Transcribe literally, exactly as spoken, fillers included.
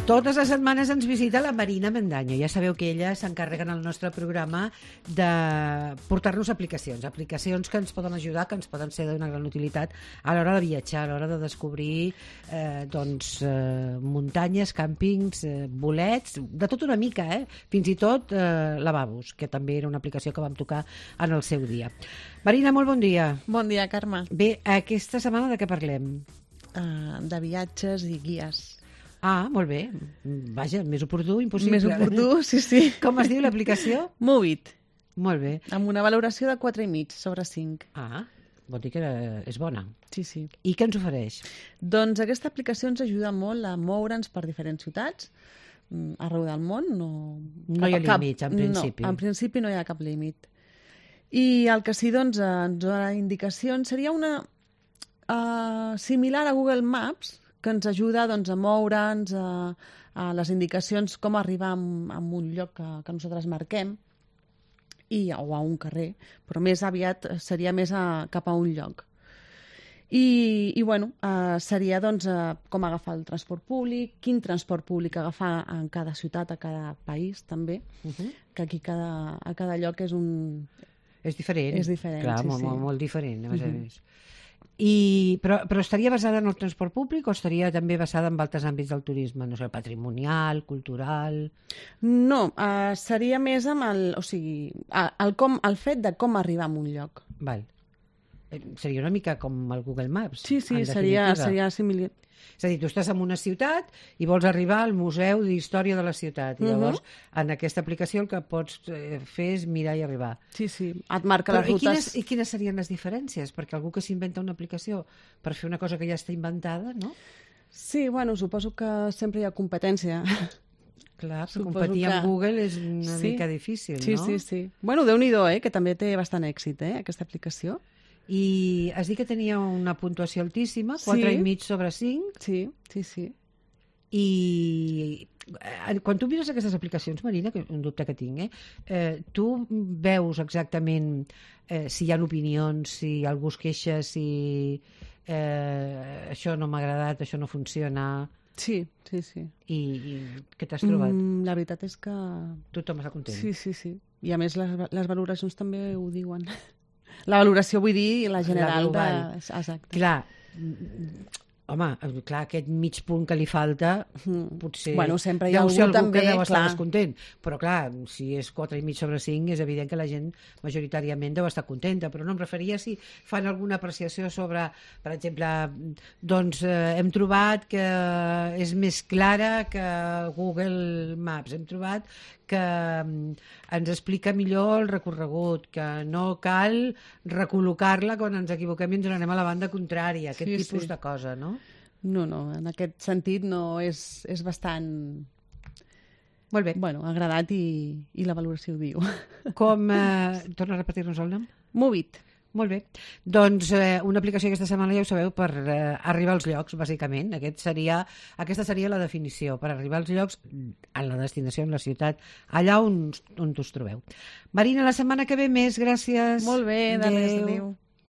Totes les setmanes ens visita la Marina Mendaño. Ja sabeu que ella s'encarrega en el nostre programa de portar-nos aplicacions, aplicacions que ens poden ajudar, que ens poden ser d'una gran utilitat a l'hora de viatjar, a l'hora de descobrir eh, doncs, eh, muntanyes, càmpings, eh, bolets, de tot una mica, eh? Fins i tot eh, lavabos, que també era una aplicació que vam tocar en el seu dia. Marina, molt bon dia. Bon dia, Carme. Bé, aquesta setmana de què parlem? Uh, de viatges i guies. Ah, molt bé. Vaja, més oportú, impossible. Més oportú, sí, sí. Com es diu l'aplicació? Movit. Molt bé. Amb una valoració de quatre i mig sobre cinc. Ah, vol dir que és bona. Sí, sí. I què ens ofereix? Doncs aquesta aplicació ens ajuda molt a moure'ns per diferents ciutats arreu del món. No, no hi ha cap, límits, en principi. No, en principi no hi ha cap límit. I el que sí, doncs, ens dona indicacions. Seria una uh, similar a Google Maps, que ens ajuda doncs, a moure'ns, a, a les indicacions com arribar a, a un lloc que, que nosaltres marquem, i, o a un carrer, però més aviat seria més a, cap a un lloc. I, i bueno, eh, seria doncs, eh, com agafar el transport públic, quin transport públic agafar en cada ciutat, a cada país també, uh-huh. que aquí cada, a cada lloc és un... És diferent. És diferent, clar, sí, molt, sí. Molt, molt diferent, a més uh-huh. a més. I, però, però estaria basada en el transport públic o estaria també basada en altres àmbits del turisme? No sé, patrimonial, cultural... No, uh, seria més amb el... O sigui, el, com, el fet de com arribar a un lloc. Val. Seria una mica com el Google Maps. Sí, sí, seria, seria similar. És a dir, tu estàs en una ciutat i vols arribar al Museu d'Història de la ciutat. I llavors, uh-huh. en aquesta aplicació el que pots fer és mirar i arribar. Sí, sí, et marca Però, les rutes. I quines, I quines serien les diferències? Perquè algú que s'inventa una aplicació per fer una cosa que ja està inventada, no? Sí, bueno, suposo que sempre hi ha competència. Clar, competir que... amb Google és una sí. mica difícil, sí, no? Sí, sí, sí. Bueno, Déu-n'hi-do, eh, que també té bastant èxit, eh, aquesta aplicació. I has dit que tenia una puntuació altíssima, quatre i mig sobre cinc. Sí, sí, sí. I quan tu mires aquestes aplicacions, Marina, que és un dubte que tinc, eh, eh, tu veus exactament eh, si hi ha opinions, si algú es queixa, si eh, això no m'ha agradat, això no funciona... Sí, sí, sí. I, i què t'has trobat? Mm, la veritat és que... Tothom està content. Sí, sí, sí. I a més les, les valoracions també ho diuen. La valoració, vull dir, la general. La global. De... Exacte. Clar, home, clar, aquest mig punt que li falta, potser... Bueno, sempre hi ha deu ser algú algú també, que deu estar clar. descontent. Però clar, si és quatre i mig sobre cinc, és evident que la gent majoritàriament deu estar contenta. Però no, em referia si fan alguna apreciació sobre, per exemple, doncs eh, hem trobat que és més clara que Google Maps. Hem trobat que ens explica millor el recorregut, que no cal recol·locar-la quan ens equivoquem i ens n'anem a la banda contrària, aquest sí, tipus sí. de cosa, no? No, no, en aquest sentit no, és, és bastant... Molt bé. Bueno, agradat i, i la valoració ho diu. Com... Eh, torna a repetir-nos el nom? Movit. Molt bé. Doncs eh, una aplicació aquesta setmana, ja ho sabeu, per eh, arribar als llocs, bàsicament. Aquest seria, aquesta seria la definició, per arribar als llocs a la destinació, en la ciutat, allà on, on us trobeu. Marina, la setmana que ve més, gràcies. Molt bé, de res, adéu.